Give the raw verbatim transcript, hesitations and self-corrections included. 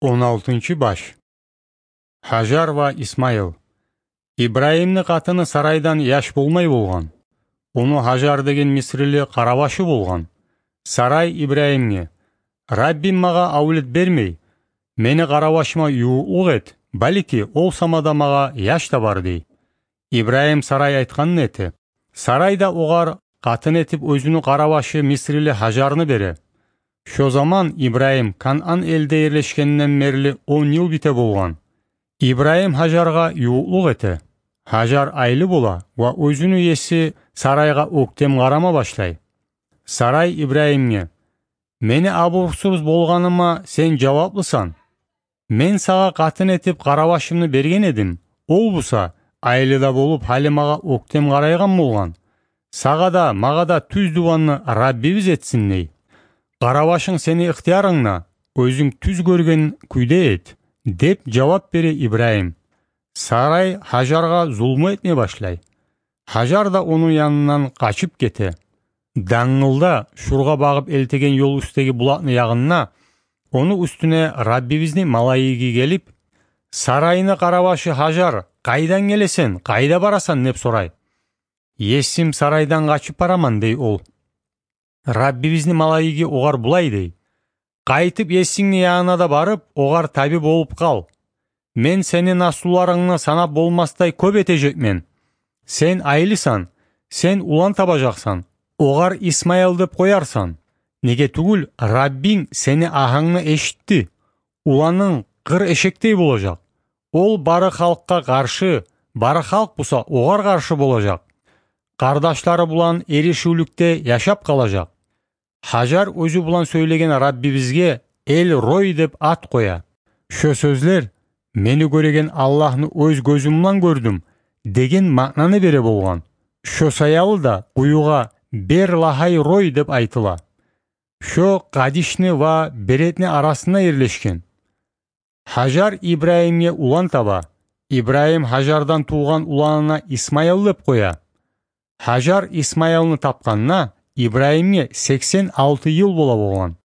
Он алтынчы баш. Гьажар ва Исмаил. Ибрагьимни къатыны Сарайдан яш болмай болгъан. Ону Гьажар деген мисрили къаравашы болгъан. Сарай Ибрагьимге: «Раббим магъа авлет бермей. Мени къаравашыма ювукълукъ эт, балики, ол сама да магъа яш табар», — дей. Ибрагьим Сарай айтгъанны эте. Сарай да огъар къатын этип оьзюню къаравашы мисрили Гьажарны бере. Шо заман Ибрагьим Канан элде ерлешгенден берли он йыл бите болгъан. Ибрагьим Гьажаргъа ювукълукъ эте. Гьажар айлы бола ва оьзюню еси Сарайгъа оьктем къарама башлай. Сарай Ибрагьимге: «Мени абурсуз болгъаныма сен жаваплысан. Мен сагъа къатын этип къаравашымны берген эдим. Ол буса, айлы да болуп, гьали магъа оьктем къарайгъан болгъан. Сагъа да, магъа да тюз дуванны Раббибиз этсин», — дей. «Къаравашынг сени ихтиярынгда, оьзюнг тюз гёрген кюйде эт», — деп жавап бере Ибрагьим. Сарай Гьажаргъа зулму этме башлай. Гьажар да ону янындан къачып гете. Дангылда Шургъа багъып элтеген ёл уьстдеги булакъны ягъында ону уьстюне Раббибизни малайиги гелип: «Сарайны къаравашы Гьажар, къайдан гелесен, къайда барасан?» — деп сорай. «Есим Сарайдан къачып бараман», — дей ол. Раббибизни малайиги огъар булай дей: «Къайтып есингни янына да барып, огъар таби болуп къал. Мен сени наслуларынгны санап болмасдай кёп этежекмен. Сен айлысан, сен улан табажакъсан. Огъар Исмаил деп къоярсан. Неге тюгюл, Раббинг сени агьынгны эшитди. Уланынг къыр эшекдей болажакъ. Ол бары халкъгъа къаршы, бары халкъ буса огъар къаршы болажакъ. Къардашлары булан эришивлюкде яшап къалажакъ». Гьажар оьзю булан сёйлеген Раббибизге Эл-Рой деп ат къоя. Шо сёзлер «Мени гёреген Аллагьны оьз гёзюм булан гёрдюм» деген маънаны бере болгъан. Шо саялы да къуюгъа Бер-Лахай-Рой деп айтыла. Шо Къадишни ва Беретни арасында ерлешген. Гьажар Ибрагьимге улан таба. Ибрагьим Гьажардан тувгъан уланына Исмаил деп къоя. Гьажар Исмаилни тапгъанда Ибрагьимге сексен алты йыл бола болгъан.